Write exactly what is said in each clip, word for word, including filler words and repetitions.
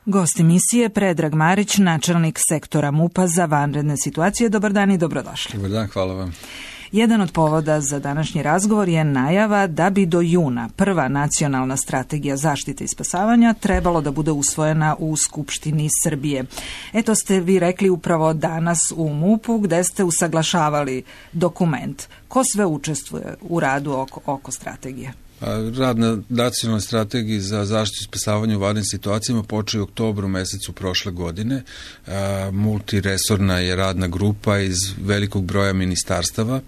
Gost emisije Predrag Marić, načelnik sektora MUP-a za vanredne situacije. Dobar dan i dobrodošli. Dobar dan, hvala vam. Jedan od povoda za današnji razgovor je najava da bi do juna prva nacionalna strategija zaštite i spasavanja trebalo da bude usvojena u Skupštini Srbije. Eto ste vi rekli upravo danas u MUP-u gde ste usaglašavali dokument. Ko sve učestvuje u radu oko, oko strategije? Rad na nacionalnoj strategiji za zaštitu i spasavanje u vanrednim situacijama počeo u oktobru mesecu prošle godine. Multiresorna je radna grupa iz velikog broja ministarstava,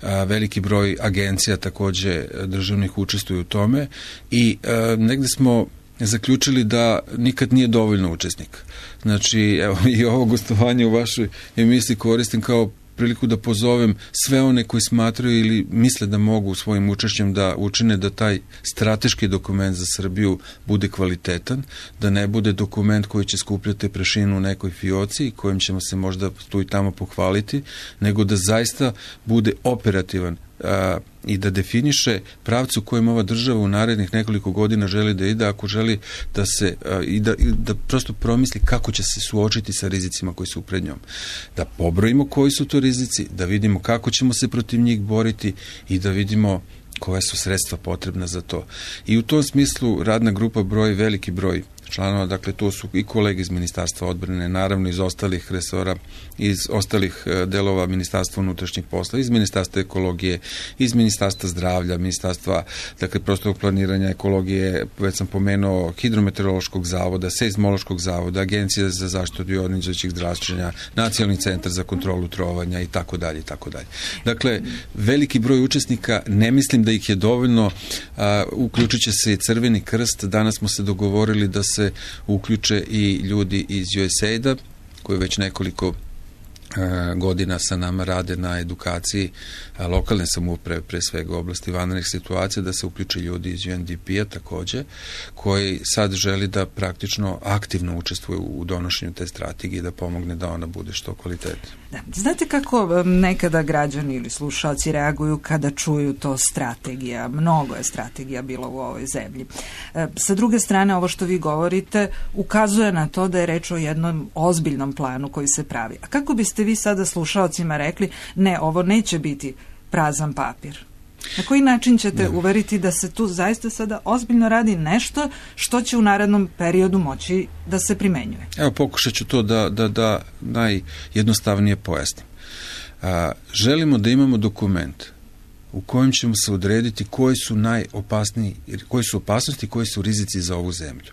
veliki broj agencija takođe državnih učestvuju u tome i negde smo zaključili da nikad nije dovoljno učesnika. Znači, evo, i ovo gostovanje u vašoj emisiji koristim kao priliku da pozovem sve one koji smatraju ili misle da mogu svojim učešćem da učine da taj strateški dokument za Srbiju bude kvalitetan, da ne bude dokument koji će skupljati prašinu u nekoj fioci i kojim ćemo se možda tu i tamo pohvaliti, nego da zaista bude operativan a, i da definiše pravcu kojim ova država u narednih nekoliko godina želi da ide, ako želi da se a, i, da, i da prosto promisli kako će se suočiti sa rizicima koji su pred njom. Da pobrojimo koji su to rizici, da vidimo kako ćemo se protiv njih boriti i da vidimo koja su sredstva potrebna za to. I u tom smislu radna grupa broji veliki broj članova, dakle to su i kolege iz Ministarstva odbrane, naravno iz ostalih resora, iz ostalih delova Ministarstva unutrašnjih posla, iz Ministarstva ekologije, iz Ministarstva zdravlja, Ministarstva, dakle, prostornog planiranja, ekologije, već sam pomenuo, Hidrometeorološkog zavoda, Seizmološkog zavoda, Agencije za zaštitu od jonizujućih zračenja, Nacionalni centar za kontrolu trovanja i tako dalje i tako dalje. Dakle, veliki broj učesnika, ne mislim da ih je dovoljno, a, uključit će se i Crveni krst. Danas smo se dogovorili da se uključe i ljudi iz U S A I D-a koji već nekoliko godina sa nama rade na edukaciji lokalne samouprave, pre svega u oblasti vanrednih situacija, da se uključe ljudi iz U N D P-a takođe, koji sad želi da praktično aktivno učestvuje u donošenju te strategije, da pomogne da ona bude što kvalitetnija. Da. Znate kako nekada građani ili slušalci reaguju kada čuju to strategija? Mnogo je strategija bilo u ovoj zemlji. E, sa druge strane, ovo što vi govorite ukazuje na to da je reč o jednom ozbiljnom planu koji se pravi. A kako biste vi sada slušalcima rekli, ne, ovo neće biti prazan papir? Na koji način ćete ne. uveriti da se tu zaista sada ozbiljno radi nešto što će u narednom periodu moći da se primenjuje? Evo, pokušat ću to da, da, da najjednostavnije pojasnim. A, želimo da imamo dokument u kojem ćemo se odrediti koji su najopasniji, koji su opasnosti i koji su rizici za ovu zemlju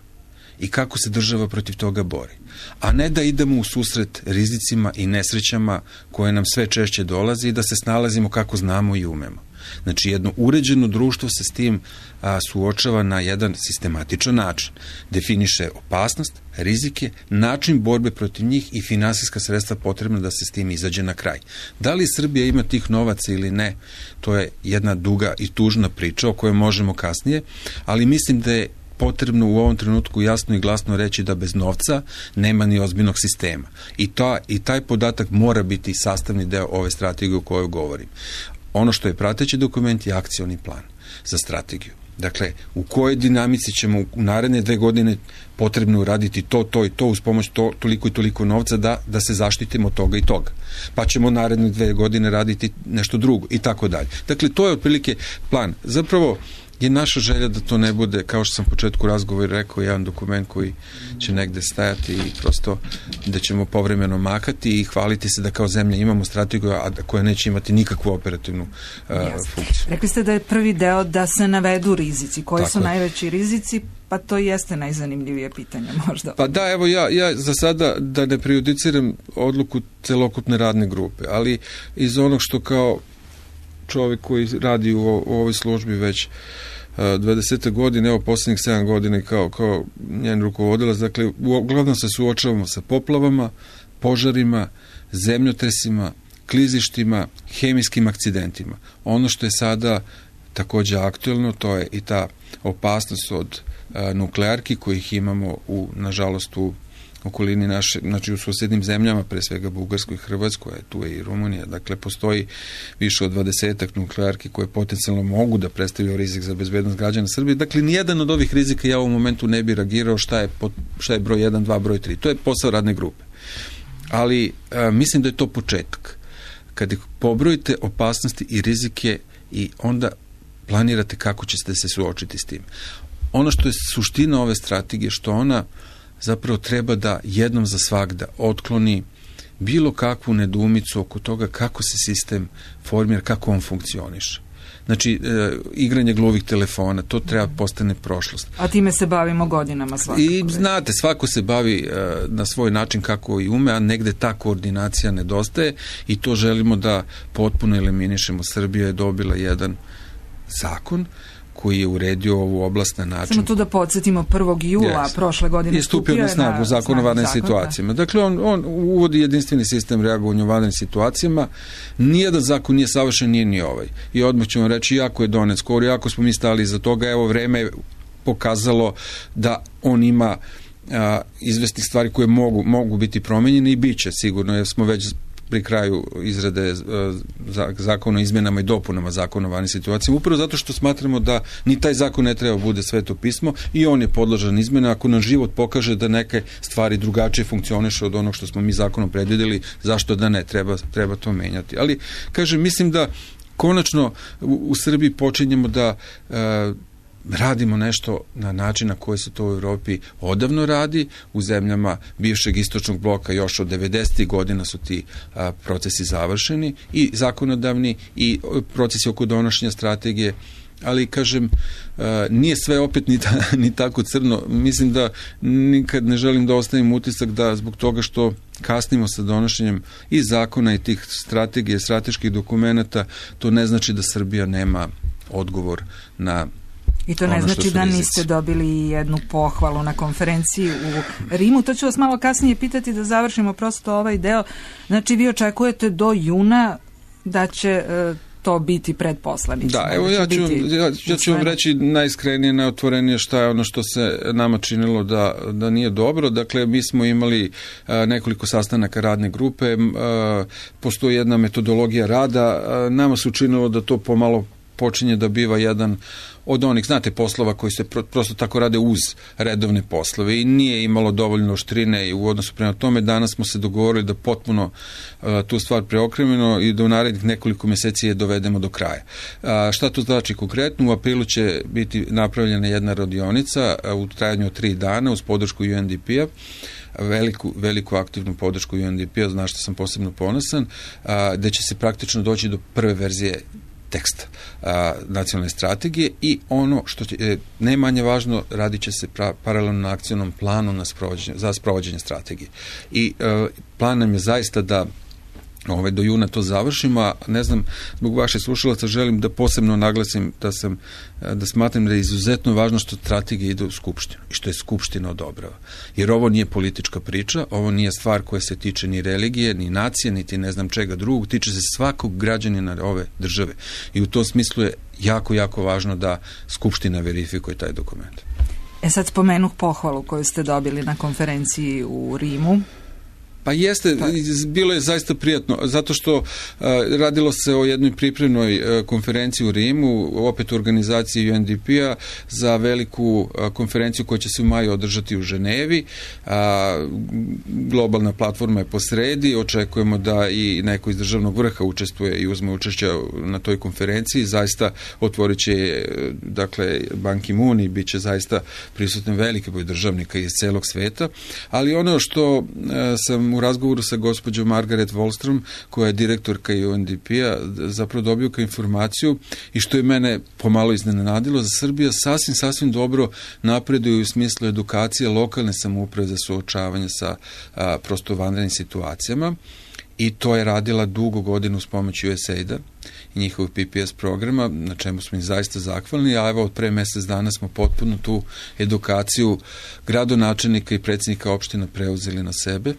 i kako se država protiv toga bori. A ne da idemo u susret rizicima i nesrećama koje nam sve češće dolaze i da se snalazimo kako znamo i umemo. Znači, jedno uređeno društvo se s tim a, suočava na jedan sistematičan način. Definiše opasnost, rizike, način borbe protiv njih i finansijska sredstva potrebna da se s tim izađe na kraj. Da li Srbija ima tih novaca ili ne, to je jedna duga i tužna priča o kojoj možemo kasnije, ali mislim da je potrebno u ovom trenutku jasno i glasno reći da bez novca nema ni ozbiljnog sistema. I, ta, i taj podatak mora biti sastavni deo ove strategije o kojoj govorim. Ono što je prateći dokument je akcioni plan za strategiju. Dakle, u kojoj dinamici ćemo u naredne dve godine potrebno uraditi to, to i to uz pomoć to, toliko i toliko novca da, da se zaštitimo od toga i toga. Pa ćemo naredne dve godine raditi nešto drugo i tako dalje. Dakle, to je otprilike plan. Zapravo, je naša želja da to ne bude, kao što sam u početku razgovora rekao, jedan dokument koji će negde stajati i prosto da ćemo povremeno makati i hvaliti se da kao zemlja imamo strategiju, a koja neće imati nikakvu operativnu uh, funkciju. Rekli ste da je prvi deo da se navedu rizici. Koji Tako su je. najveći rizici? Pa to jeste najzanimljivije pitanje možda. Pa da, evo ja, ja za sada da ne prejudiciram odluku celokupne radne grupe, ali iz onog što kao čovjek koji radi u, u ovoj službi već dvadesete godine, evo posljednjih sedam godina kao, kao njen rukovodilac, dakle, uglavnom se suočavamo sa poplavama, požarima, zemljotresima, klizištima, hemijskim akcidentima. Ono što je sada takođe aktuelno, to je i ta opasnost od a, nuklearki kojih imamo u, nažalost, u okolini naše, znači u susednim zemljama, pre svega Bugarskoj i Hrvatskoj, tu je i Rumunija. Dakle, postoji više od dvadesetak nuklearki koje potencijalno mogu da predstavljaju rizik za bezbednost građana Srbije. Dakle, nijedan od ovih rizika ja u ovom momentu ne bi reagirao šta je, šta je broj jedan, dva, broj tri. To je posao radne grupe. Ali a, mislim da je to početak. Kad pobrojite opasnosti i rizike i onda planirate kako ćete se suočiti s tim. Ono što je suština ove strategije, što ona zapravo treba da jednom za svagda otkloni bilo kakvu nedoumicu oko toga kako se sistem formira, kako on funkcioniše. Znači, e, igranje gluvih telefona, to treba postane prošlost. A time se bavimo godinama svakako. I znate, svako se bavi e, na svoj način kako i ume, a negde ta koordinacija nedostaje i to želimo da potpuno eliminišemo. Srbija je dobila jedan zakon koji je uredio ovu oblast na način... Samo tu da podsjetimo, prvog jula yes. prošle godine je stupio na snagu zakon o vanrednim situacijama. Dakle, on, on uvodi jedinstveni sistem reagovanja u vanrednim situacijama. Nijedan zakon nije savršen, nije ni ovaj. I odmah ćemo reći, jako je donet skoro, jako smo mi stali iza toga, evo vreme je pokazalo da on ima a, izvesnih stvari koje mogu, mogu biti promenjene i bit će sigurno, jer smo već pri kraju izrade zakona o izmjenama i dopunama zakona o vanrednim situacijama, upravo zato što smatramo da ni taj zakon ne treba bude sveto pismo i on je podložan izmjena. Ako nam život pokaže da neke stvari drugačije funkcioniše od onog što smo mi zakonom predvidjeli, zašto da ne, treba, treba to menjati. Ali, kažem, mislim da konačno u, u Srbiji počinjemo da e, radimo nešto na način na koji se to u Evropi odavno radi. U zemljama bivšeg istočnog bloka još od devedesetih godina su ti a, procesi završeni, i zakonodavni i procesi oko donošenja strategije. Ali, kažem, a, nije sve opet ni, ta, ni tako crno. Mislim da nikad ne želim da ostavim utisak da zbog toga što kasnimo sa donošenjem i zakona i tih strategije, strateških dokumenata, to ne znači da Srbija nema odgovor na... I to ne ono znači da niste dobili jednu pohvalu na konferenciji u Rimu. To ću vas malo kasnije pitati da završimo prosto ovaj deo. Znači, vi očekujete do juna da će e, to biti pred poslanicima. Da, evo ja ću, ja, ja ću vam reći najiskrenije, najotvorenije šta je ono što se nama činilo da, da nije dobro. Dakle, mi smo imali a, nekoliko sastanaka radne grupe, a, postoji jedna metodologija rada, a, nama se učinilo da to pomalo počinje da biva jedan od onih, znate, poslova koji se pro, prosto tako rade uz redovne poslove i nije imalo dovoljno oštrine i u odnosu prema tome. Danas smo se dogovorili da potpuno uh, tu stvar preokrenemo i da u narednih nekoliko mjeseci je dovedemo do kraja. Uh, šta to znači konkretno? U aprilu će biti napravljena jedna radionica uh, u trajanju od tri dana uz podršku U N D P-a, veliku, veliku aktivnu podršku U N D P-a, znaš što sam posebno ponosan, uh, gde će se praktično doći do prve verzije teksta a, nacionalne strategije i ono što će, e, ne manje važno, radit će se pra, paralelno na akcionom planu na sprovođenje, za sprovođenje strategije. I e, plan nam je zaista da ove, do juna to završimo, a ne znam, zbog vaših slušalaca želim da posebno naglasim da sam, da smatram da je izuzetno važno što strategija ide u Skupštinu i što je Skupština odobrava. Jer ovo nije politička priča, ovo nije stvar koja se tiče ni religije, ni nacije, niti ne znam čega drugog, tiče se svakog građanina ove države. I u tom smislu je jako, jako važno da Skupština verifikuje taj dokument. E sad spomenuh pohvalu koju ste dobili na konferenciji u Rimu. Pa jeste, bilo je zaista prijatno, zato što uh, radilo se o jednoj pripremnoj uh, konferenciji u Rimu, opet u organizaciji U N D P-a, za veliku uh, konferenciju koja će se u maju održati u Ženevi. Uh, globalna platforma je posredi, očekujemo da i neko iz državnog vrha učestvuje i uzme učešće na toj konferenciji. Zaista otvorit će, dakle, Ban Ki-moon i bit će zaista prisutan veliki broj državnika iz celog sveta, ali ono što uh, sam u razgovoru sa gospođom Margaret Wallström, koja je direktorka U N D P-a, zapravo dobio kao informaciju i što je mene pomalo iznenadilo, za Srbija sasvim, sasvim dobro napreduje u smislu edukacije lokalne samouprave za suočavanje sa a, prosto vanrednim situacijama. I to je radila dugo godinu s pomoću U S A I D-a i njihovog P P S programa, na čemu smo im zaista zahvalni, a evo od pre mjesec dana smo potpuno tu edukaciju gradonačelnika i predsjednika opština preuzeli na sebe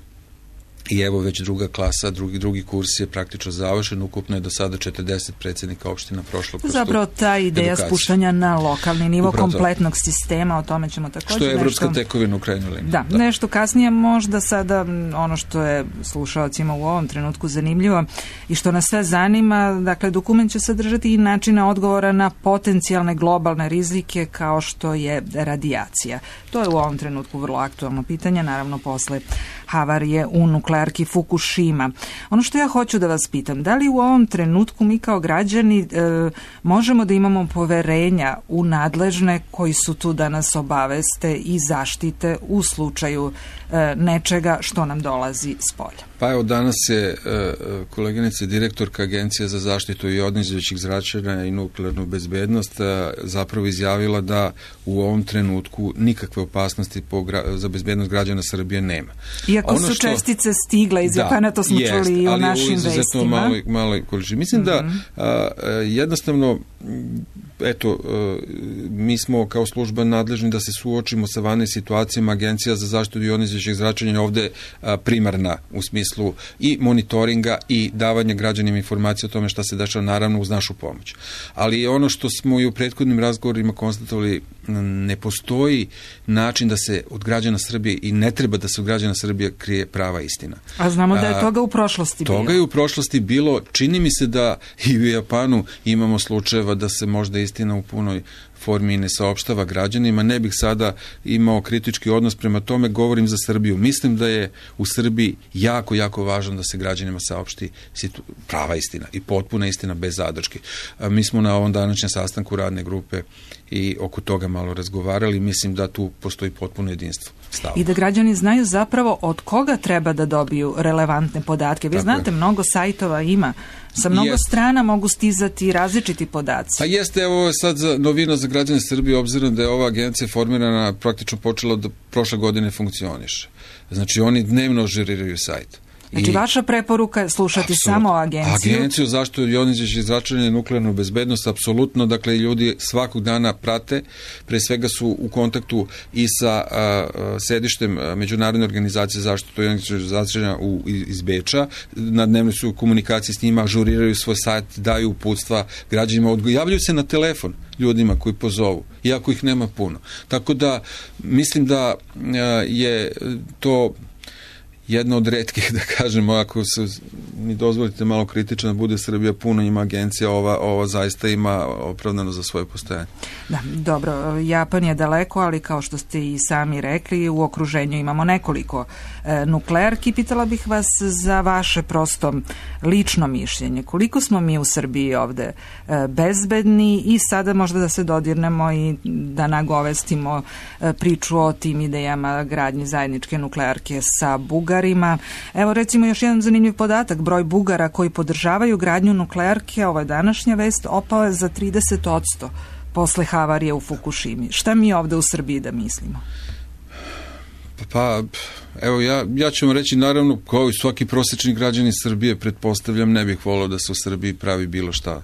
I evo već druga klasa, drugi, drugi kurs je praktično završen, ukupno je do sada četrdeset predsjednika opština prošlo kroz zapravo ta ideja edukaciju. Spuštanja na lokalni nivo upravo kompletnog to. Sistema, o tome ćemo također što je evropska nešto... tekovina u krajnjoj liniji. Da, da, nešto kasnije možda sada ono što je slušalcima u ovom trenutku zanimljivo i što nas sve zanima, dakle dokument će sadržati i načine odgovora na potencijalne globalne rizike kao što je radijacija. To je u ovom trenutku vrlo aktualno pitanje, naravno posle havarije u nuklearki Fukushima. Ono što ja hoću da vas pitam, da li u ovom trenutku mi kao građani e, možemo da imamo poverenja u nadležne koji su tu da nas obaveste i zaštite u slučaju e, nečega što nam dolazi s polja? Pa evo, danas je e, koleginica direktorka Agencije za zaštitu ionizirajućih zračenja i nuklearnu bezbednost e, zapravo izjavila da u ovom trenutku nikakve opasnosti po gra, za bezbednost građana Srbije nema. Iako ono su što, čestice stigle iz Japana, to smo jest, čuli i u našim vestima. Malo, malo količini. Mislim mm-hmm. da a, jednostavno eto, mi smo kao služba nadležni da se suočimo sa vanrednim situacijama. Agencija za zaštitu ionizirajućih zračenja ovde primarna u smislu i monitoringa i davanja građanima informacije o tome šta se dešava, naravno uz našu pomoć. Ali ono što smo i u prethodnim razgovorima konstatovali, ne postoji način da se od građana Srbije i ne treba da se od građana Srbije krije prava istina. A znamo da je toga u prošlosti bilo. Toga je u prošlosti bilo. Čini mi se da i u Japanu imamo slučajeva da se možda istina u punoj formi ne saopštava građanima. Ne bih sada imao kritički odnos prema tome, govorim za Srbiju. Mislim da je u Srbiji jako, jako važno da se građanima saopšti situ... prava istina i potpuna istina bez zadrške. Mi smo na ovom današnjem sastanku radne grupe i oko toga malo razgovarali. Mislim da tu postoji potpuno jedinstvo stava. I da građani znaju zapravo od koga treba da dobiju relevantne podatke. Vi Tako znate, je. mnogo sajtova ima. Sa mnogo jest. strana mogu stizati različiti podaci. Pa jeste, evo sad za novina za građane Srbije, obzirom da je ova agencija formirana, praktično počela da prošle godine funkcioniše. Znači, oni dnevno ažuriraju sajt. Znači, I, vaša preporuka je slušati apsolutno. samo agenciju? Agenciju zaštitu ionizirajućih zračenja i nuklearnu bezbednost, apsolutno, dakle, ljudi svakog dana prate, pre svega su u kontaktu i sa a, a, sedištem Međunarodne organizacije zaštitu ionizirajućih zračenja u, iz Beča, na dnevnoj su u komunikaciji s njima, ažuriraju svoj sajt, daju uputstva građanima, javljaju se na telefon ljudima koji pozovu, iako ih nema puno. Tako da, mislim da a, je to jedna od retkih, da kažemo, ako se mi dozvolite malo kritično da bude Srbija puno, ima agencija, ova, ova zaista ima opravdano za svoje postojanje. Da, dobro, Japan je daleko, ali kao što ste i sami rekli, u okruženju imamo nekoliko e, nuklearki. Pitala bih vas za vaše prosto lično mišljenje. Koliko smo mi u Srbiji ovde e, bezbedni i sada možda da se dodirnemo i da nagovestimo e, priču o tim idejama gradnje zajedničke nuklearke sa Bugarskom. Evo recimo još jedan zanimljiv podatak, broj Bugara koji podržavaju gradnju nuklearke, ovo je današnja vest, opao je za trideset posto posle havarije u Fukushimi. Šta mi ovde u Srbiji da mislimo? Pa, evo ja, ja ću vam reći, naravno, kao i svaki prosječni građanin Srbije, pretpostavljam, ne bih volao da se u Srbiji pravi bilo šta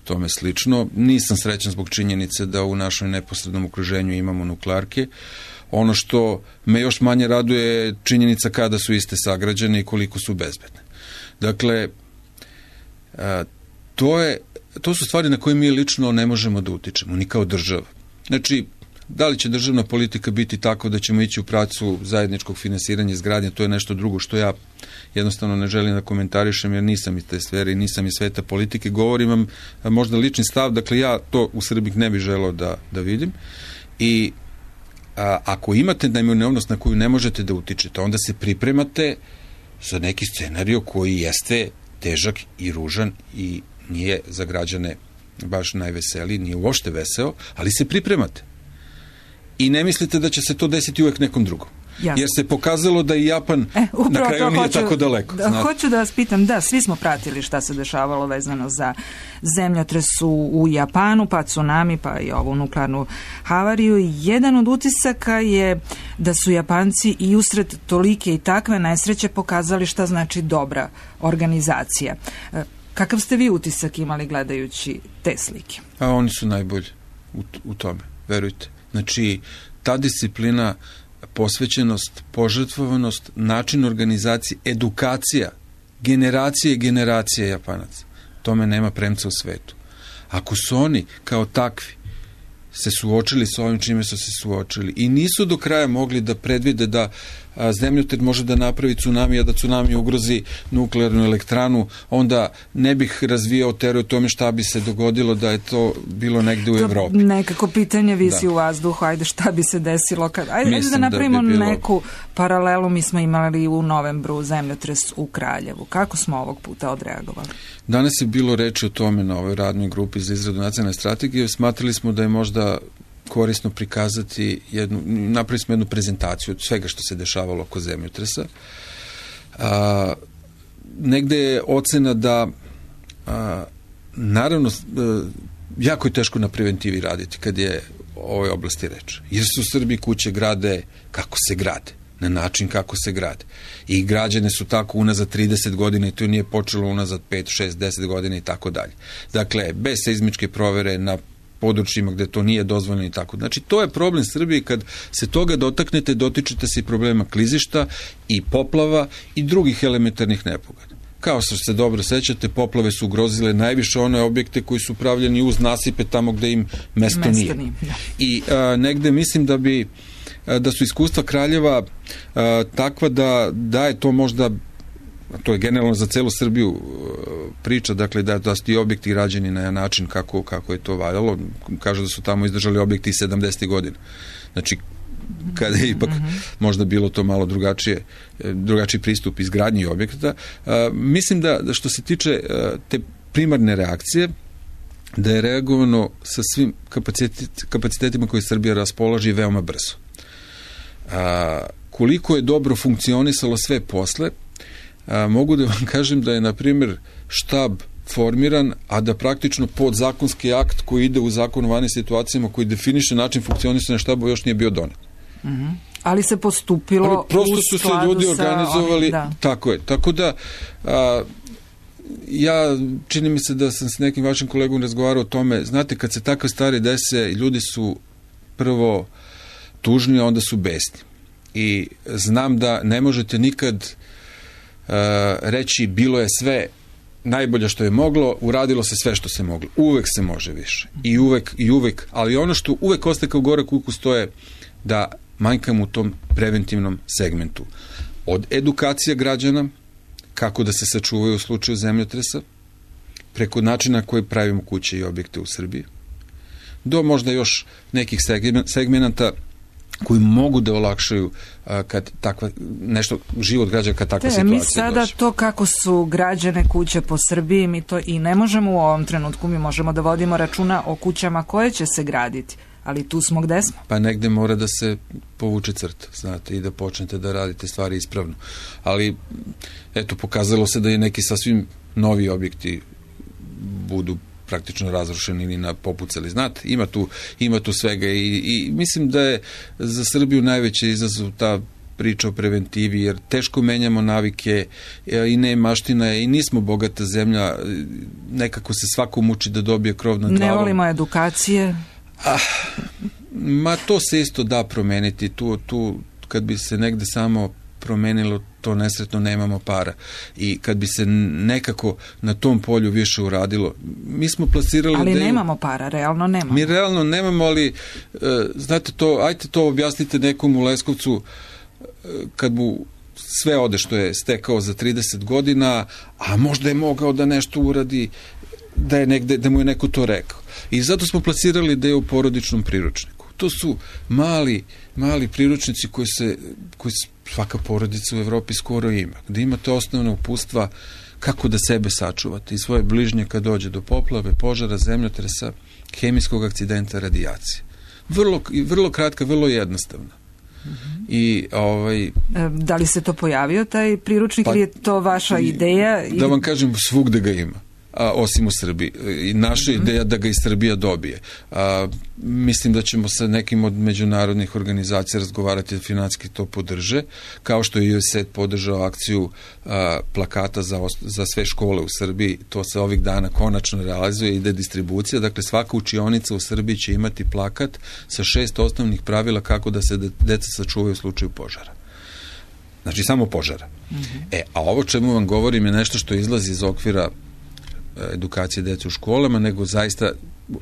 tome slično. Nisam srećan zbog činjenice da u našoj neposrednom okruženju imamo nuklearke. Ono što me još manje raduje je činjenica kada su iste sagrađene i koliko su bezbedne. Dakle, to, je, to su stvari na koje mi lično ne možemo da utičemo, ni kao država. Znači, da li će državna politika biti tako da ćemo ići u pracu zajedničkog finansiranja izgradnje, to je nešto drugo što ja jednostavno ne želim da komentarišem jer nisam iz te sfere i nisam iz sveta politike. Govorim vam možda lični stav, dakle ja to u Srbiji ne bih želeo da, da vidim. I A, ako imate neminovnost na koju ne možete da utičete, onda se pripremate za neki scenario koji jeste težak i ružan i nije za građane baš najveseliji, nije uopšte veseo, ali se pripremate. I ne mislite da će se to desiti uvek nekom drugom. Jasne. Jer se pokazalo da i Japan e, na kraju nije hoću, tako daleko. Da, hoću da vas pitam, da, svi smo pratili šta se dešavalo vezano za zemljotres u, u Japanu, pa tsunami, pa i ovu nuklearnu havariju. Jedan od utisaka je da su Japanci i usred tolike i takve nesreće pokazali šta znači dobra organizacija. Kakav ste vi utisak imali gledajući te slike? A oni su najbolji u, u tome, verujte. Znači, ta disciplina posvećenost, požrtvovanost, način organizacije, edukacija, generacije i generacije Japanaca. Tome nema premca u svetu. Ako su oni kao takvi se suočili s ovim čime su se suočili i nisu do kraja mogli da predvide da a, zemljotres može da napravi tsunami, a da tsunami ugrozi nuklearnu elektranu, onda ne bih razvijao teoriju o tome šta bi se dogodilo da je to bilo negde u to Evropi. Nekako pitanje visi da. u vazduhu, ajde šta bi se desilo kad... Ajde, ajde da napravimo da bi bilo... neku paralelu, mi smo imali u novembru zemljotres u Kraljevu. Kako smo ovog puta odreagovali? Danas je bilo reči o tome na ovoj radnoj grupi za izradu nacionalne strategije. Smatrali smo da je možda korisno prikazati jednu, napravili smo jednu prezentaciju od svega što se dešavalo oko zemljotresa. A, negde je ocena da a, naravno a, jako je teško na preventivi raditi kad je o ovoj oblasti reč. Jer su u Srbiji kuće grade kako se grade, na način kako se grade. I građane su tako unazad trideset godina i to nije počelo unazad pet, šest, deset godina i tako dalje. Dakle, bez seizmičke provere na područjima gde to nije dozvoljeno i tako. Znači, to je problem Srbije. Kad se toga dotaknete, dotičete se i problema klizišta i poplava i drugih elementarnih nepogoda. Kao što se dobro sećate, poplave su ugrozile najviše one objekte koji su pravljeni uz nasipe tamo gde im mesto, mesto nije. nije. I a, negde mislim da bi a, da su iskustva Kraljeva a, takva da, da je to možda, to je generalno za celu Srbiju priča, dakle da, da su ti objekti građeni na način kako, kako je to valjalo. Kažu da su tamo izdržali objekti iz sedamdesetih godina. Znači, kada je ipak mm-hmm. možda bilo to malo drugačije, drugačiji pristup izgradnji objekta. A, mislim da, da što se tiče a, te primarne reakcije, da je reagovano sa svim kapacitet, kapacitetima koje Srbija raspolaži veoma brzo. A, koliko je dobro funkcionisalo sve posle, a, mogu da vam kažem da je, na primjer, štab formiran, a da praktično podzakonski akt koji ide u zakon o vanrednim situacijama, koji definiše način funkcionisanja štaba, još nije bio donet. Mm-hmm. Ali se postupilo ali prosto su se ljudi organizovali onim, da. Tako je, tako da a, ja čini mi se da sam s nekim vašim kolegom razgovarao o tome, znate, kad se takve stvari dese, ljudi su prvo tužni, a onda su besni i znam da ne možete nikad a, reći bilo je sve najbolje što je moglo, uradilo se sve što se moglo, uvek se može više i uvek, i uvek, ali ono što uvek ostaje kao gorak ukus, to je da manjkamo u tom preventivnom segmentu. Od edukacija građana, kako da se sačuvaju u slučaju zemljotresa, preko načina koji pravimo kuće i objekte u Srbiji, do možda još nekih segmenata koji mogu da olakšaju a, kad takva, nešto, život građana kad takva Te, situacija mi sada dođe. To kako su građane kuće po Srbiji, mi to i ne možemo u ovom trenutku, mi možemo da vodimo računa o kućama koje će se graditi. Ali tu smo gde smo. Pa negde mora da se povuče crta, znate, i da počnete da radite stvari ispravno. Ali, eto, pokazalo se da je neki sasvim novi objekti budu praktično razrušeni ili na popucali. Znate, ima tu, ima tu svega i, i mislim da je za Srbiju najveći izazov ta priča o preventivi, jer teško menjamo navike i ne maština je i nismo bogata zemlja, nekako se svako muči da dobije krov nad glavom. Ne volimo edukacije. Ah, ma to se isto da promeniti, tu, tu kad bi se negde samo promenilo, to nesretno nemamo para i kad bi se nekako na tom polju više uradilo, mi smo plasirali... Ali ideju, nemamo para, realno nemamo. Mi realno nemamo, ali uh, znate to, ajte to objasnite nekom u Leskovcu uh, kad mu sve ode što je stekao za trideset godina, a možda je mogao da nešto uradi, da je negde, da mu je neko to rekao. I zato smo plasirali ideju u porodičnom priručniku. To su mali, mali priručnici koji se, koji svaka porodica u Evropi skoro ima, gde imate osnovne upustva kako da sebe sačuvate i svoje bližnje kad dođe do poplave, požara, zemljotresa, hemijskog akcidenta, radijacije. Vrlo, vrlo kratka, vrlo jednostavna. Mm-hmm. I ovaj da li se to pojavio taj priručnik pa, ili je to vaša ideja? Da vam kažem, svugde ga ima. a, osim u Srbiji. I naša mm-hmm. ideja da ga i Srbija dobije. A, mislim da ćemo sa nekim od međunarodnih organizacija razgovarati da financijski to podrže, kao što je U S A I D podržao akciju a, plakata za, za sve škole u Srbiji. To se ovih dana konačno realizuje, ide distribucija. Dakle, svaka učionica u Srbiji će imati plakat sa šest osnovnih pravila kako da se deca sačuvaju u slučaju požara. Znači, samo požara. Mm-hmm. E, a ovo čemu vam govorim je nešto što izlazi iz okvira edukacije dece u školama, nego zaista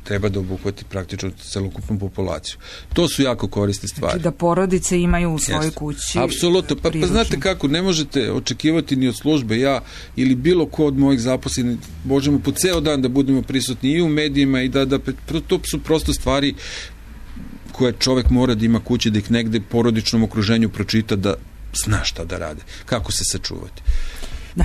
treba da obuhvati praktično celokupnu populaciju. To su jako korisne stvari. Znači da porodice imaju u svojoj Jeste. kući. Apsolutno. Pa, pa znate kako, ne možete očekivati ni od službe, ja ili bilo ko od mojih zaposlenih, možemo po ceo dan da budemo prisutni i u medijima i da, da to su prosto stvari koje čovek mora da ima kući, da ih negde porodičnom okruženju pročita, da zna šta da rade, kako se sačuvati. Da.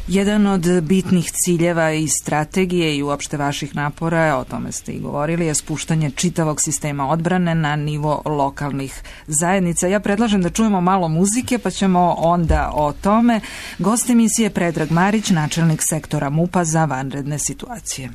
Jedan od bitnih ciljeva i strategije i uopšte vaših napora, o tome ste i govorili, je spuštanje čitavog sistema odbrane na nivo lokalnih zajednica. Ja predlažem da čujemo malo muzike, pa ćemo onda o tome. Gost emisije Predrag Marić, načelnik sektora MUP-a za vanredne situacije.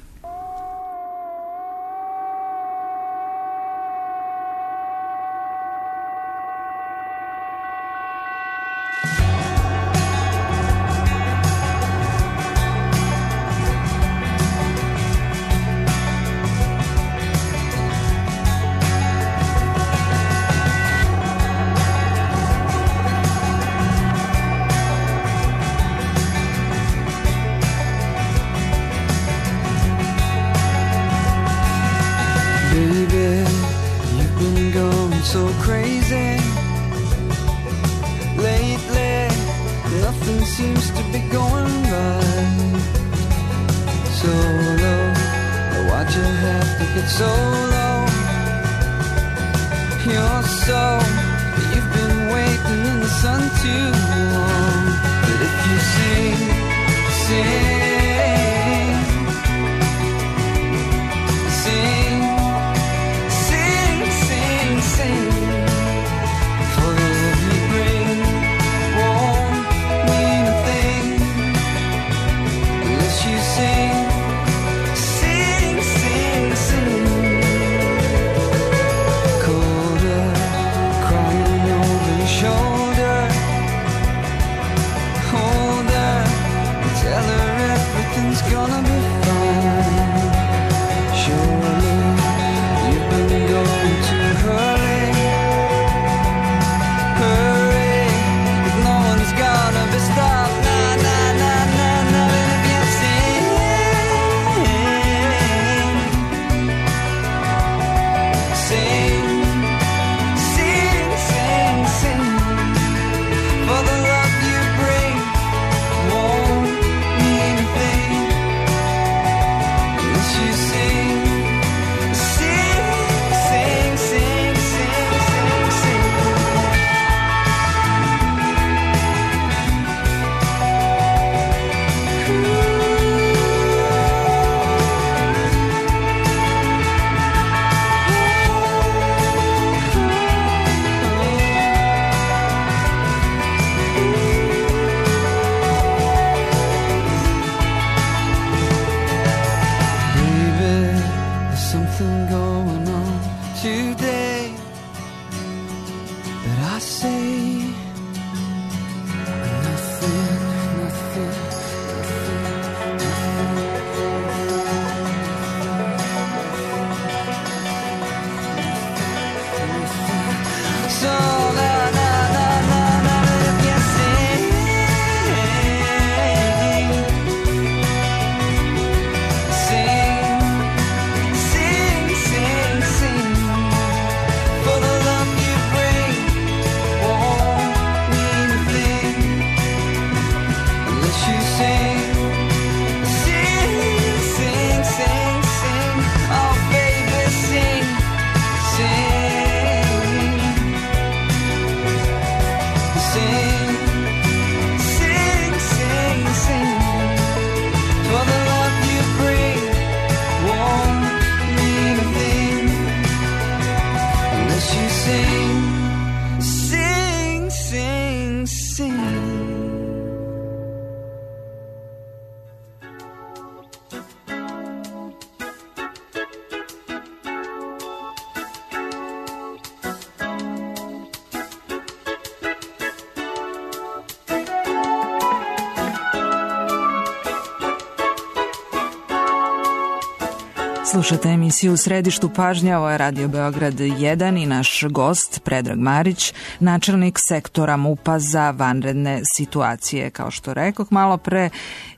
Slušate emisiju U središtu pažnje, ovo je Radio Beograd jedan i naš gost Predrag Marić, načelnik sektora MUP-a za vanredne situacije. Kao što rekoh malo pre,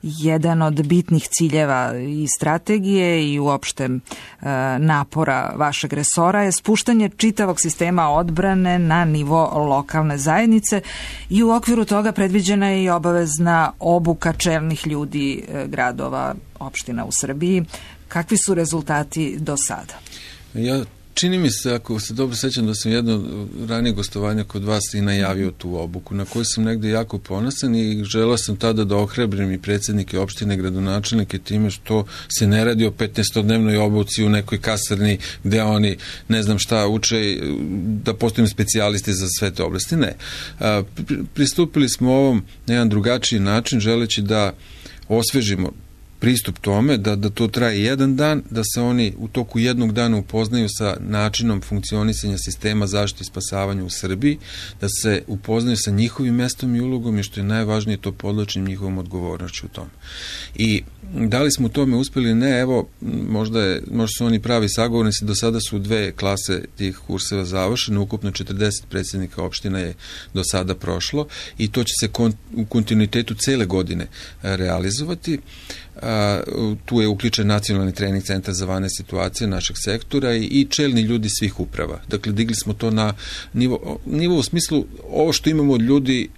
jedan od bitnih ciljeva i strategije i uopšte e, napora vašeg resora je spuštanje čitavog sistema odbrane na nivo lokalne zajednice i u okviru toga predviđena je i obavezna obuka čelnih ljudi e, gradova, opština u Srbiji. Kakvi su rezultati do sada? Ja, čini mi se, ako se dobro sećam, da sam jedno ranije gostovanja kod vas i najavio tu obuku, na koju sam negde jako ponosan i želeo sam tada da ohrabrim i predsjednike opštine, gradonačelnike time što se ne radi o petnaestodnevnoj obuci u nekoj kasarni gde oni ne znam šta uče, da postavim specijalisti za sve te oblasti. Ne. Pristupili smo ovom na jedan drugačiji način, želeći da osvežimo pristup tome, da, da to traje jedan dan, da se oni u toku jednog dana upoznaju sa načinom funkcionisanja sistema zaštite i spasavanja u Srbiji, da se upoznaju sa njihovim mestom i ulogom i što je najvažnije, to podlačim njihovom odgovornošću u tome. I da li smo u tome uspeli? Ne, evo, možda, je, možda su oni pravi sagovornici, do sada su dve klase tih kurseva završene, ukupno četrdeset predsjednika opština je do sada prošlo i to će se kon, u kontinuitetu cele godine realizovati. A, tu je uključen nacionalni trening centar za vanredne situacije našeg sektora i, i čelni ljudi svih uprava. Dakle, digli smo to na nivo, nivo u smislu, ovo što imamo od ljudi,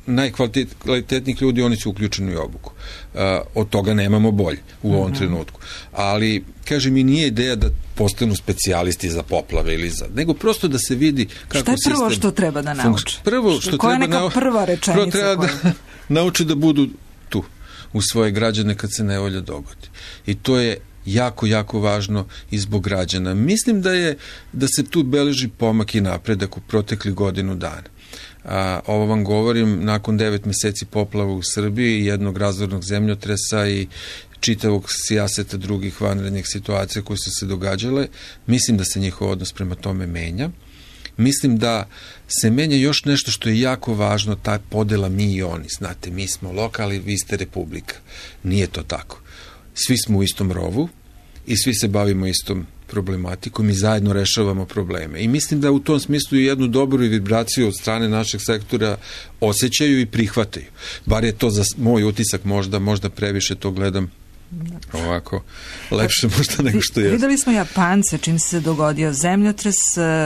najkvalitetnijih ljudi, oni su uključeni u obuku. A, od toga nemamo bolje u ovom mm-hmm. trenutku. Ali, kaže mi, nije ideja da postanu specijalisti za poplave ili za, nego prosto da se vidi kako sistem... Šta je prvo što treba da nauče? Prvo što Koja treba je neka prva rečenica? Prvo treba da nauče da budu tu u svoje građane kad se nevolja dogodi. I to je jako, jako važno i zbog građana. Mislim da je, da se tu beleži pomak i napredak u protekli godinu dana. A, ovo vam govorim nakon devet meseci poplava u Srbiji, jednog razornog zemljotresa i čitavog sijaseta drugih vanrednih situacija koje su se događale. Mislim da se njihov odnos prema tome menja. Mislim da se menja još nešto što je jako važno, ta podela mi i oni. Znate, mi smo lokali, vi ste republika. Nije to tako. Svi smo u istom rovu i svi se bavimo istom problematikom i zajedno rešavamo probleme. I mislim da u tom smislu jednu dobru vibraciju od strane našeg sektora osjećaju i prihvataju. Bar je to za moj utisak, možda, možda previše to gledam ovako lepše možda nego što je. Videli smo Japance čim se dogodio zemljotres,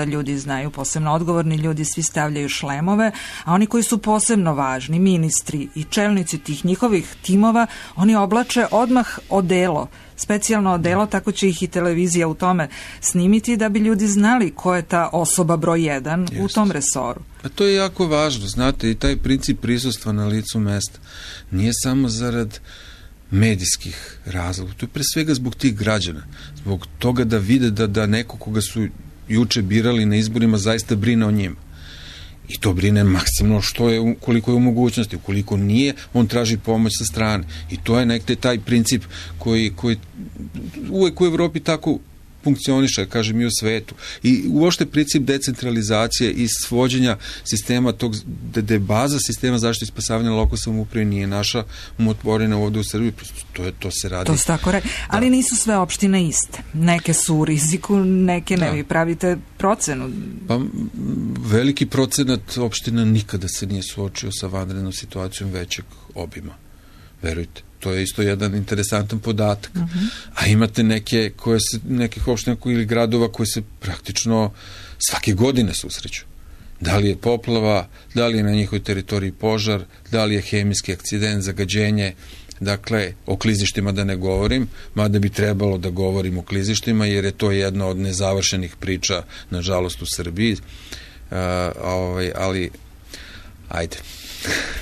ljudi znaju, posebno odgovorni ljudi, svi stavljaju šlemove, a oni koji su posebno važni, ministri i čelnici tih njihovih timova, oni oblače odmah odelo, specijalno odelo, tako će ih i televizija u tome snimiti da bi ljudi znali ko je ta osoba broj jedan Just. u tom resoru. A to je jako važno, znate, i taj princip prisustva na licu mesta nije samo zarad medijskih razloga. To je pre svega zbog tih građana. Zbog toga da vide da, da neko koga su juče birali na izborima zaista brine o njima. I to brine maksimalno što je, koliko je u mogućnosti. Ukoliko nije, on traži pomoć sa strane. I to je nekde taj princip koji, koji uvek u Evropi tako funkcioniše, kažem i u svetu. I uopšte princip decentralizacije i svođenja sistema tog, da je baza sistema zaštite i spasavanja lokalne samouprave nije naša umotvorena ovde u Srbiji, to, je, to se radi. To se tako radi. Ali da. Nisu sve opštine iste. Neke su u riziku, neke ne. Da. Vi pravite procenu. Pa, veliki procenat opština nikada se nije suočio sa vanrednom situacijom većeg obima. Verujte. To je isto jedan interesantan podatak. Uh-huh. A imate neke koje se, nekih opština ili gradova koje se praktično svake godine susreću. Da li je poplava, da li je na njihovoj teritoriji požar, da li je hemijski akcident, zagađenje. Dakle, o klizištima da ne govorim, mada bi trebalo da govorim o klizištima, jer je to jedna od nezavršenih priča, nažalost, u Srbiji. Uh, ovaj, ali, ajde.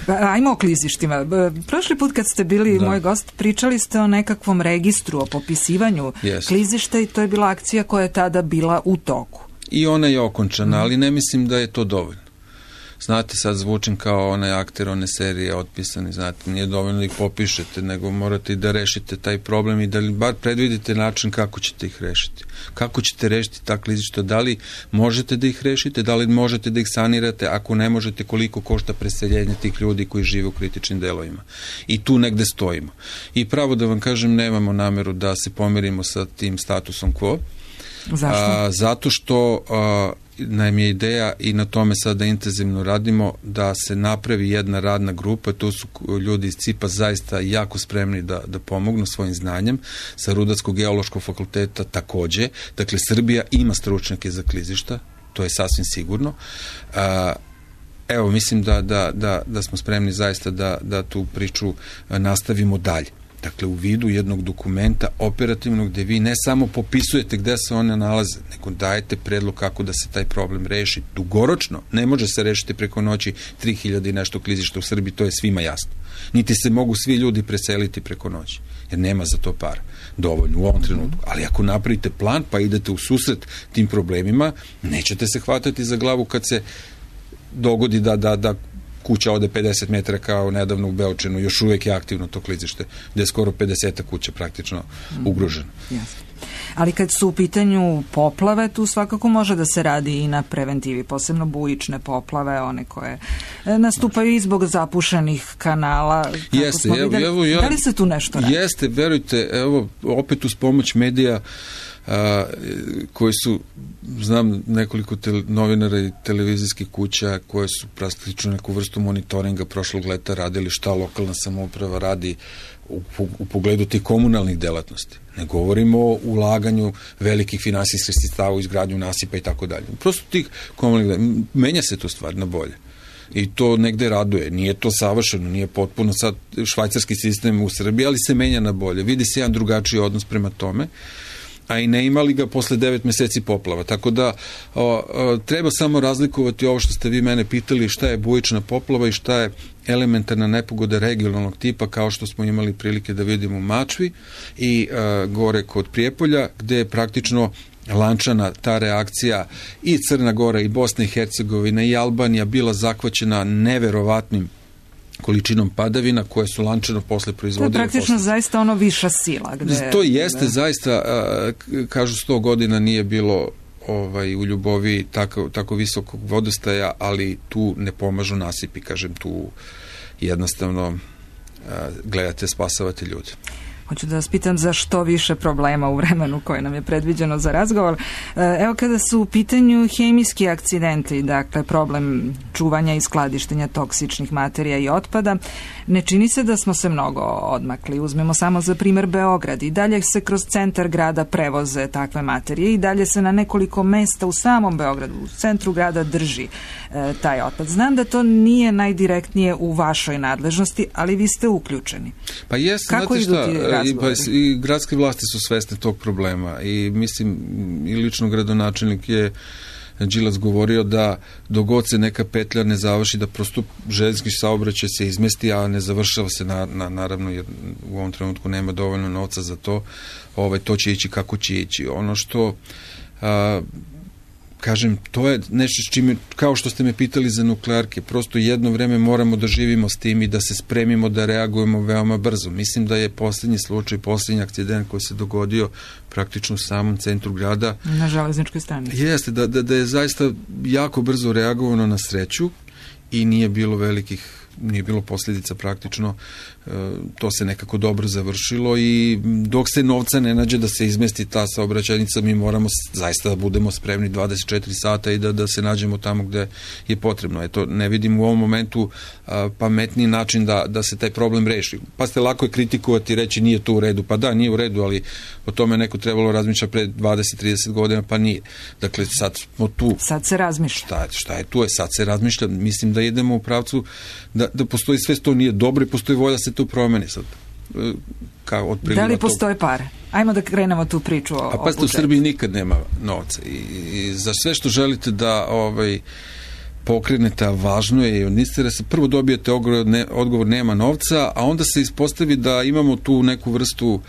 Ajmo o klizištima. Prošli put kad ste bili da. moj gost, pričali ste o nekakvom registru, o popisivanju yes. klizišta i to je bila akcija koja je tada bila u toku. I ona je okončana, mm. ali ne mislim da je to dovoljno. znate, sad zvučim kao onaj akter one serije Otpisani, znate, nije dovoljno da ih popišete, nego morate i da rešite taj problem i da li bar predvidite način kako ćete ih rešiti. Kako ćete rešiti ta klizišta, da li možete da ih rešite, da li možete da ih sanirate, ako ne možete, koliko košta preseljenje tih ljudi koji žive u kritičnim delovima. I tu negde stojimo. I pravo da vam kažem, nemamo nameru da se pomirimo sa tim statusom quo. Zašto? A, zato što a, nam je ideja i na tome sada intenzivno radimo da se napravi jedna radna grupa, to su ljudi iz C I P-a zaista jako spremni da, da pomognu svojim znanjem, sa Rudarsko-geološkog fakulteta takođe, dakle Srbija ima stručnjake za klizišta, to je sasvim sigurno. A, evo, mislim da, da, da, da smo spremni zaista da, da tu priču nastavimo dalje. Dakle, u vidu jednog dokumenta operativnog gde vi ne samo popisujete gde se one nalaze, nego dajete predlog kako da se taj problem reši. Dugoročno ne može se rešiti preko noći tri hiljade i nešto klizišta u Srbiji, to je svima jasno. Niti se mogu svi ljudi preseliti preko noći, jer nema za to para dovoljno u ovom trenutku. Ali ako napravite plan pa idete u susret tim problemima, nećete se hvatati za glavu kad se dogodi da, da, da kuća ode pedeset metara kao nedavno u Beočinu, još uvijek je aktivno to klizište, gde je skoro pedeset kuća praktično ugroženo. Jasno. Ali kad su u pitanju poplave, tu svakako može da se radi i na preventivi, posebno bujične poplave, one koje nastupaju i zbog zapušenih kanala. Jeste, evo, evo, ja, da li se tu nešto radi? Jeste, verujte, evo, opet uz pomoć medija a, koji su, znam nekoliko tele, novinara i televizijskih kuća koje su praktično neku vrstu monitoringa prošlog leta radili šta lokalna samouprava radi u, u pogledu tih komunalnih delatnosti. Ne govorimo o ulaganju velikih finansijskih sredstava u izgradnju nasipa i tako dalje. Prosto tih komunalnih, menja se to stvar na bolje. I to negde raduje. Nije to savršeno, nije potpuno sad švajcarski sistem u Srbiji, ali se menja na bolje. Vidi se jedan drugačiji odnos prema tome, a i ne imali ga posle devet meseci poplava. Tako da o, o, treba samo razlikovati ovo što ste vi mene pitali, šta je bujična poplava i šta je elementarna nepogoda regionalnog tipa, kao što smo imali prilike da vidimo u Mačvi i a, gore kod Prijepolja, gde je praktično lančana ta reakcija i Crna Gora i Bosna i Hercegovina i Albanija bila zahvaćena neverovatnim količinom padavina koje su lančano posle proizvodile. To je praktično posle. Zaista ono viša sila. Gde, to jeste gde... zaista, a, kažu sto godina nije bilo ovaj, u Ljubovi tako, tako visokog vodostaja, ali tu ne pomažu nasipi, kažem, tu jednostavno a, gledate, spasavate ljude. Hoću da vas pitam za što više problema u vremenu koje nam je predviđeno za razgovor. Evo, kada su u pitanju hemijski akcidenti, dakle problem čuvanja i skladištenja toksičnih materija i otpada, ne čini se da smo se mnogo odmakli. Uzmemo samo za primer Beograd. I dalje se kroz centar grada prevoze takve materije i dalje se na nekoliko mesta u samom Beogradu, u centru grada drži e, taj otpad. Znam da to nije najdirektnije u vašoj nadležnosti, ali vi ste uključeni. Pa jes, kako idu ti I, pa, i gradske vlasti su svesne tog problema i mislim i lično gradonačelnik je Đilas govorio da dogod se neka petlja ne završi, da prosto željeznički saobraćaj se izmesti, a ne završava se na, na, naravno jer u ovom trenutku nema dovoljno novca za to, ovaj, to će ići kako će ići. Ono što a, kažem, to je nešto s čime, kao što ste me pitali za nuklearke, prosto jedno vreme moramo da živimo s tim i da se spremimo da reagujemo veoma brzo. Mislim da je posljednji slučaj, posljednji akcident koji se dogodio praktično u samom centru grada. Na železničkoj stanici. Jeste, da, da, da je zaista jako brzo reagovano na sreću i nije bilo velikih, nije bilo posljedica praktično, to se nekako dobro završilo i dok se novca ne nađe da se izmesti ta saobraćajnica, mi moramo zaista da budemo spremni dvadeset četiri sata i da, da se nađemo tamo gde je potrebno. Eto, ne vidim u ovom momentu a, pametniji način da, da se taj problem reši. Pa ste lako je kritikovati i reći nije to u redu. Pa da, nije u redu, ali o tome neko trebalo razmišljati pre dvadeset trideset godina, pa nije. Dakle, sad smo tu. Sad se razmišlja. Šta, šta je tu? Je, sad se razmišlja. Mislim da idemo u pravcu da, da postoji sve to nije dobro i postoji volja se tu promeni sad. Kao od da li postoje tog... pare? Ajmo da krenemo tu priču o, A pa u Srbiji nikad nema novca i, i za sve što želite da ovaj, pokrenete, a važno je i od interesa, prvo dobijete odgovor, ne, odgovor nema novca, a onda se ispostavi da imamo tu neku vrstu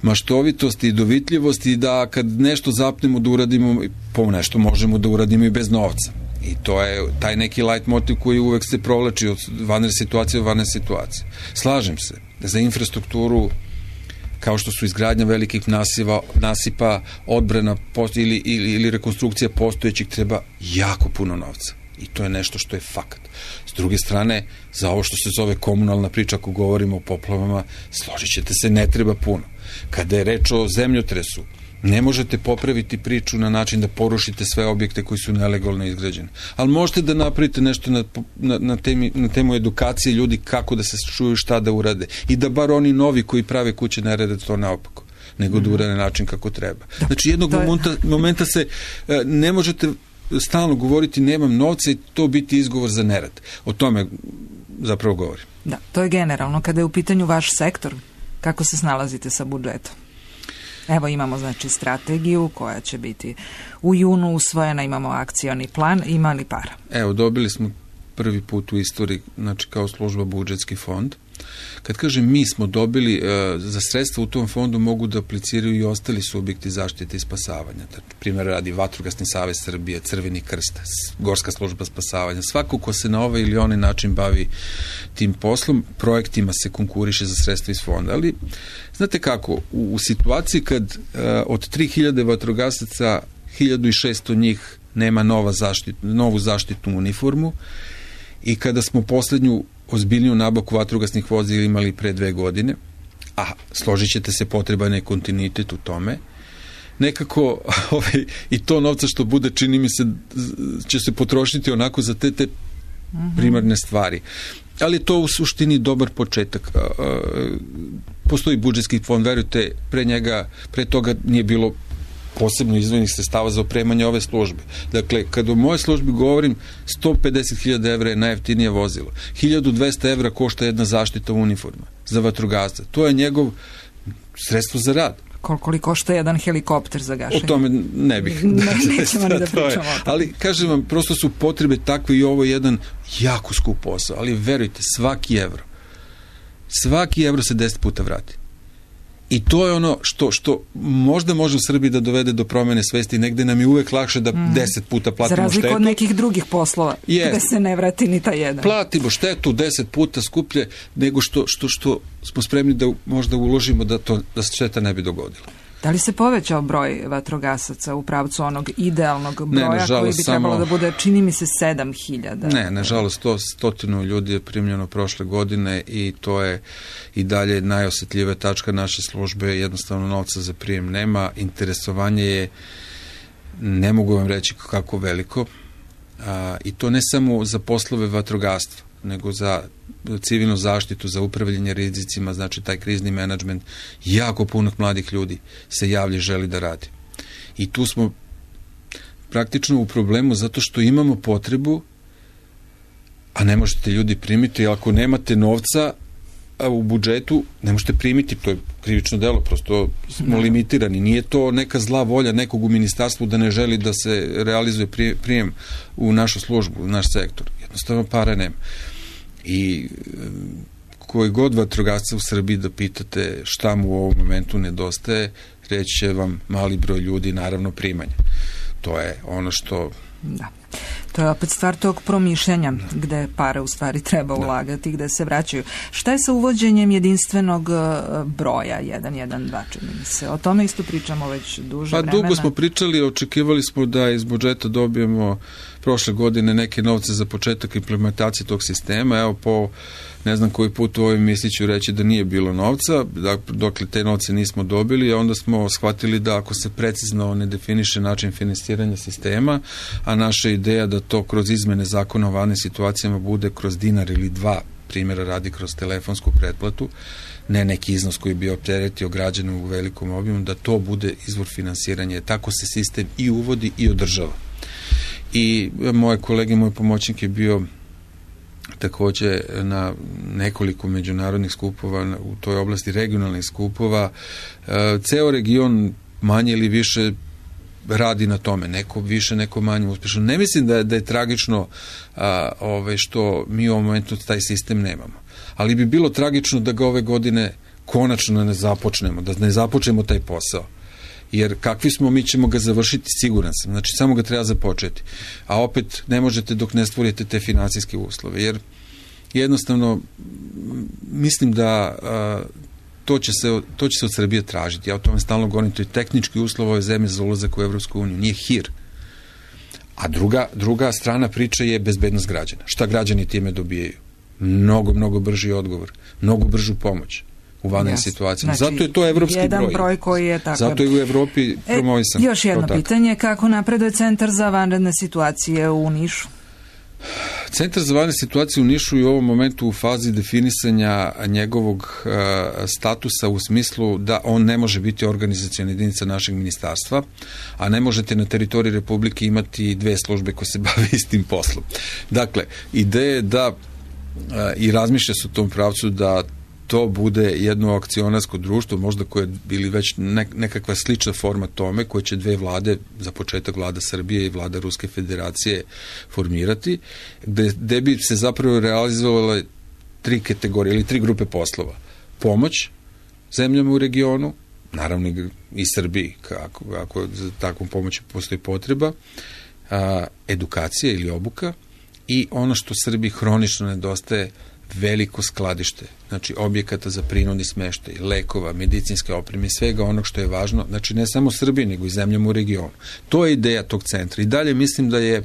maštovitosti i dovitljivosti da kad nešto zapnemo da uradimo, po nešto možemo da uradimo i bez novca. I to je taj neki light motiv koji uvek se provlači od vanredne situacije u vanredne situacije. Slažem se da za infrastrukturu kao što su izgradnja velikih nasiva, nasipa, odbrana ili, ili, ili rekonstrukcija postojećih treba jako puno novca. I to je nešto što je fakat. S druge strane, za ovo što se zove komunalna priča, ako govorimo o poplavama, složit ćete se, ne treba puno. Kada je reč o zemljotresu, ne možete popraviti priču na način da porušite sve objekte koji su nelegalno izgrađeni. Ali možete da napravite nešto na, na, na, temi, na temu edukacije ljudi kako da se čuju, šta da urade. I da bar oni novi koji prave kuće ne rade to naopako, nego da urade na način kako treba. Znači jednog je... momenta, momenta se ne možete stalno govoriti nemam novca i to biti izgovor za nerad. O tome zapravo govorim. Da, to je generalno. Kada je u pitanju vaš sektor, kako se snalazite sa budžetom? Evo imamo znači strategiju koja će biti u junu usvojena, imamo akcioni plan, ima li para? Evo, dobili smo prvi put u istoriji, znači kao služba budžetski fond. Kad kažem mi smo dobili, e, za sredstva u tom fondu mogu da apliciraju i ostali subjekti zaštite i spasavanja. Primjer radi Vatrogasni savez Srbije, Crveni krst, Gorska služba spasavanja. Svako ko se na ovaj ili onaj način bavi tim poslom, projektima se konkuriše za sredstva iz fonda. Ali, znate kako, u, u situaciji kad e, od tri hiljade vatrogasaca hiljadu šesto njih nema nova zaštit, novu zaštitnu uniformu i kada smo poslednju ozbiljniju nabavku vatrogasnih vozila imali pre dve godine, a složit ćete se, potreban je kontinuitet u tome, nekako ovaj, i to novca što bude, čini mi se, će se potrošiti onako za te, te primarne stvari. Ali to u suštini dobar početak. Postoji budžetski fond, verujte, pre njega, pre toga nije bilo posebno izdvojenih sredstava za opremanje ove službe. Dakle, kada o mojoj službi govorim, sto pedeset hiljada evra je najjeftinije vozilo. hiljadu dvesta evra košta jedna zaštita uniforma za vatrogasca. To je njegov sredstvo za rad. Koliko li košta jedan helikopter za gašenje? O tome ne bih. Ne, nećemo ni da pričamo o tome. Ali, kažem vam, prosto su potrebe takve i ovo je jedan jako skup posao. Ali verujte, svaki evro, svaki evro se deset puta vrati. I to je ono što, što možda može u Srbiji da dovede do promene svesti. Negde nam je uvek lakše da mm. deset puta platimo štetu. Za razliku štetu. Od nekih drugih poslova, yes. gde se ne vrati ni ta jedan. Platimo štetu deset puta skuplje nego što, što, što smo spremni da možda uložimo da, to, da se šteta ne bi dogodila. Da li se povećao broj vatrogasaca u pravcu onog idealnog broja ne, nažalost, koji bi trebalo samo... da bude, čini mi se, sedam hiljada? Ne, nažalost, to stotinu ljudi je primljeno prošle godine i to je i dalje najosetljivija tačka naše službe. Jednostavno novca za prijem nema. Interesovanje je, ne mogu vam reći kako veliko, a, i to ne samo za poslove vatrogastva, nego za civilnu zaštitu, za upravljanje rizicima, znači taj krizni menadžment, jako puno mladih ljudi se javlja i želi da radi. I tu smo praktično u problemu zato što imamo potrebu, a ne možete ljudi primiti, ako nemate novca u budžetu, ne možete primiti, to je krivično delo, prosto smo limitirani. Nije to neka zla volja nekog u ministarstvu da ne želi da se realizuje prijem u našu službu, u naš sektor. Jednostavno para nema. I koji god vatrogasca u Srbiji da pitate šta mu u ovom momentu nedostaje, reći će vam mali broj ljudi, naravno primanja. To je ono što... Da. To je opet stvar tog promišljanja gde pare u stvari treba ulagati, gde se vraćaju. Šta je sa uvođenjem jedinstvenog broja jedan jedan dva, čini mi se? O tome isto pričamo već duže pa, vremena. Dugo smo pričali, očekivali smo da iz budžeta dobijemo prošle godine neke novce za početak implementacije tog sistema. Evo, po ne znam koji put u ovoj misli ću reći da nije bilo novca, dokle te novce nismo dobili, a onda smo shvatili da ako se precizno ne definiše način finansiranja sistema, a naša ideja da to kroz izmene zakona o vanrednim situacijama bude kroz dinar ili dva, primjera radi kroz telefonsku pretplatu, ne neki iznos koji bi opteretio građane u velikom obimu, da to bude izvor finansiranja. Tako se sistem i uvodi i održava. I moje kolege, moj pomoćnik je bio takođe na nekoliko međunarodnih skupova u toj oblasti, regionalnih skupova. Ceo region manje ili više radi na tome, neko više, neko manje uspešno. Ne mislim da je, da je tragično a, ove, što mi u ovom momentu taj sistem nemamo. Ali bi bilo tragično da ga ove godine konačno ne započnemo, da ne započnemo taj posao. jer kakvi smo, mi ćemo ga završiti, siguran sam. Znači, samo ga treba započeti. A opet ne možete dok ne stvorite te financijske uslove, jer jednostavno mislim da a, to, će se, to će se od Srbije tražiti. Ja o tome stalno govorim, to je tehnički uslov ove zemlje za ulazak u Evropsku uniju, nije hir. A druga, druga strana priče je bezbednost građana. Šta građani time dobijaju? Mnogo, mnogo brži odgovor, mnogo bržu pomoć u vanrednim yes. situacijama. Znači, zato je to evropski jedan broj. broj koji je tako. Zato je u Evropi promovisan. E, još jedno pitanje, kako napreduje Centar za vanredne situacije u Nišu? Centar za vanredne situacije u Nišu je u ovom momentu u fazi definisanja njegovog uh, statusa u smislu da on ne može biti organizaciona jedinica našeg ministarstva, a ne možete na teritoriji Republike imati dve službe koje se bave istim poslom. Dakle, ideja je da uh, i razmišlja se u tom pravcu da to bude jedno akcionarsko društvo, možda koje bili već nekakva slična forma tome, koje će dve vlade, za početak vlada Srbije i vlada Ruske federacije formirati, gde, gde bi se zapravo realizovale tri kategorije ili tri grupe poslova. Pomoć zemljama u regionu, naravno i Srbiji, kako, ako za takvom pomoći postoji potreba, a, edukacija ili obuka i ono što Srbiji hronično nedostaje, veliko skladište, znači objekata za prinudni smeštaj, lekova, medicinske opreme i svega onog što je važno, znači ne samo Srbiji, nego i zemljama u regionu. To je ideja tog centra. I dalje mislim da je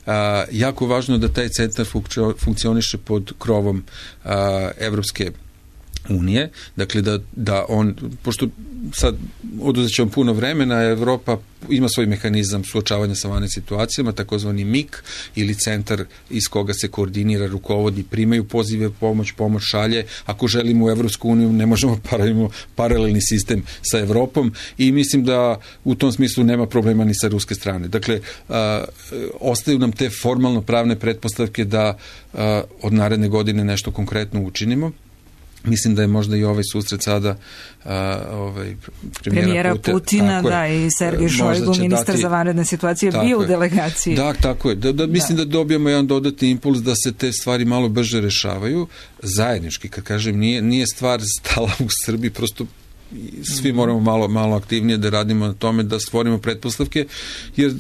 a, jako važno da taj centar funkcioniše pod krovom a, Evropske unije, dakle da, da on, pošto sad oduzet će vam puno vremena, Evropa ima svoj mehanizam suočavanja sa vanrednim situacijama, takozvani M I K ili centar iz koga se koordinira, rukovodi, primaju pozive, pomoć, pomoć šalje. Ako želimo u Evropsku uniju, ne možemo paralelno paralelni sistem sa Evropom i mislim da u tom smislu nema problema ni sa ruske strane. Dakle, a, ostaju nam te formalno pravne pretpostavke da a, od naredne godine nešto konkretno učinimo. Mislim da je možda i ovaj susret sada a, ovaj, premijera, premijera Putin, Putina, da, i Sergej Šojgu, ministar dati, za vanredne situacije, bio u delegaciji. Da, tako je. Da, da, mislim da. da dobijemo jedan dodatni impuls da se te stvari malo brže rešavaju. Zajednički, kad kažem, nije, nije stvar stala u Srbiji, prosto svi moramo malo, malo aktivnije da radimo na tome, da stvorimo pretpostavke, jer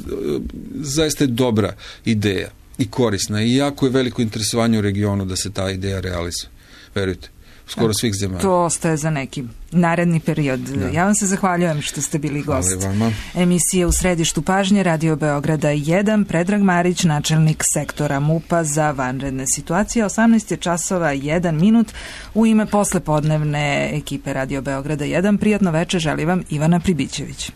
zaista je dobra ideja i korisna i jako je veliko interesovanje u regionu da se ta ideja realizuje. Verujte. Skoro svih zemalja. To ostaje za neki naredni period. Da. Ja vam se zahvaljujem što ste bili gost. Emisije U središtu pažnje Radio Beograda jedan, Predrag Marić, načelnik sektora MUP-a za vanredne situacije. osamnaest je časova jedan minut. U ime poslepodnevne ekipe Radio Beograda jedan, prijatno veče želi vam Ivana Pribićević.